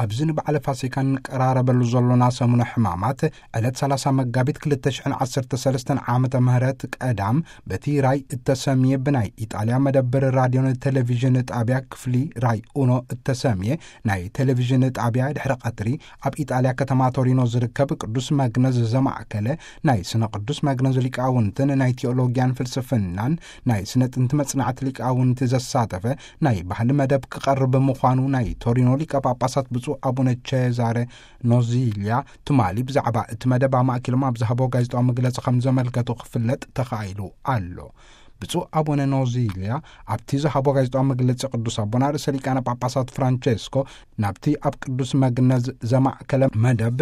ኣብዚ ንበዓለ ፋሲካ እንቀራረበሉ ዘሎና ሰሙነ ሕማማት፣ ዕለት ሰላሳ መጋቢት ክልተ ሽሕን ዓሰርተ ሰለስተን ዓመተ ምህረት ቀዳም፣ በቲ ራይ እተሰምየ ብናይ ኢጣልያ መደብር ራድዮን ቴሌቪዥን ጣቢያ ክፍሊ ራይ ኡኖ እተሰምየ ናይ ቴሌቪዥን ጣቢያ ድሕሪ ቀትሪ፣ ኣብ ኢጣልያ ከተማ ቶሪኖ ዝርከብ ቅዱስ መግነዝ ዘማእከለ ናይ ስነ ቅዱስ መግነዝ ሊቃውንትን ናይ ቴዎሎጊያን ፍልስፍናን ናይ ስነ ጥንቲ መጽናዕቲ ሊቃውንቲ ዘሳተፈ ናይ ባህሊ መደብ ክቐርብ ምዃኑ ናይ ቶሪኖ ሊቀ ጳጳሳት ብፁዕ ኣቡነ ቼዛረ ኖዚልያ ትማሊ ብዛዕባ እቲ መደብ ኣማእኪሎም ኣብ ዝሃቦ ጋዜጣዊ መግለጺ ከም ዘመልከቱ ክፍለጥ ተኻኢሉ ኣሎ። ብፁዕ ኣቡነ ኖዚልያ ኣብቲ ዝሃቦ ጋዜጣዊ መግለጺ ቅዱስ ኣቦና ርእሰ ሊቃነ ጳጳሳት ፍራንቼስኮ ናብቲ ኣብ ቅዱስ መግነዝ ዘማእከለ መደብ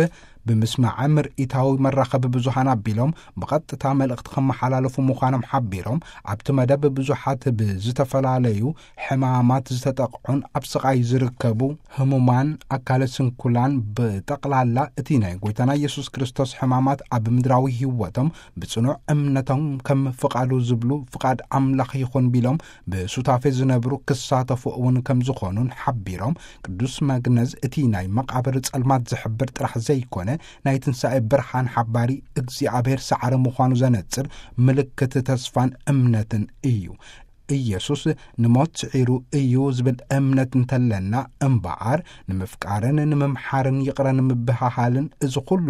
ብምስማዐ ምርኢታዊ መራኸቢ ብዙሃን ኣቢሎም ብቐጥታ መልእኽቲ ከመሓላለፉ ምዃኖም ሓቢሮም፣ ኣብቲ መደብ ብዙሓት ብዝተፈላለዩ ሕማማት ዝተጠቕዑን ኣብ ስቓይ ዝርከቡ ህሙማን ኣካለ ስንኩላን ብጠቕላላ እቲ ናይ ጎይታና ኢየሱስ ክርስቶስ ሕማማት ኣብ ምድራዊ ህይወቶም ብጽኑዕ እምነቶም ከም ፍቓዱ ዝብሉ ፍቓድ ኣምላኽ ይኹን ቢሎም ብሱታፌ ዝነብሩ ክሳተፉ እውን ከም ዝኾኑን ሓቢሮም፣ ቅዱስ መግነዝ እቲ ናይ መቓብር ጸልማት ዝሕብር ጥራሕ ዘይኮነ ናይ ትንሳኤ ብርሃን ሓባሪ እግዚኣብሔር ሰዓረ ምዃኑ ዘነጽር ምልክት ተስፋን እምነትን እዩ። ኢየሱስ ንሞት ስዒሩ እዩ ዝብል እምነት እንተለና እምበኣር፣ ንምፍቃርን ንምምሓርን ይቕረ ንምብሃሃልን እዚ ኩሉ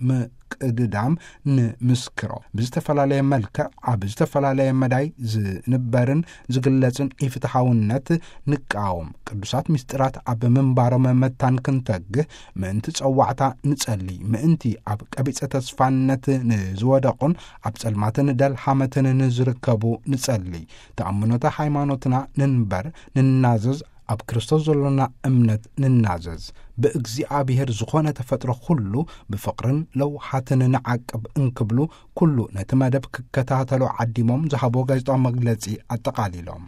ብምቅድዳም ንምስክሮ። ብዝተፈላለየ መልክዕ ኣብ ዝተፈላለየ መዳይ ዝንበርን ዝግለጽን ኢፍትሓውነት ንቃወም። ቅዱሳት ምስጢራት ኣብ ምንባሮም መታን ክንተግህ ምእንቲ ጸዋዕታ ንጸሊ፣ ምእንቲ ኣብ ቀቢጸ ተስፋነት ንዝወደቑን ኣብ ጸልማትን ደልሃመትን ንዝርከቡ ንጸሊ። ተኣምኖተ ሃይማኖትና ንንበር፣ ንናዘዝ፣ ኣብ ክርስቶስ ዘሎና እምነት ንናዘዝ። ብእግዚኣብሔር ዝኾነ ተፈጥሮ ኩሉ ብፍቕርን ለውሃትን ንዓቅብ እንክብሉ ኩሉ ነቲ መደብ ክከታተሉ ዓዲሞም ዝሃቦ ጋዜጣዊ መግለጺ ኣጠቓሊሎም።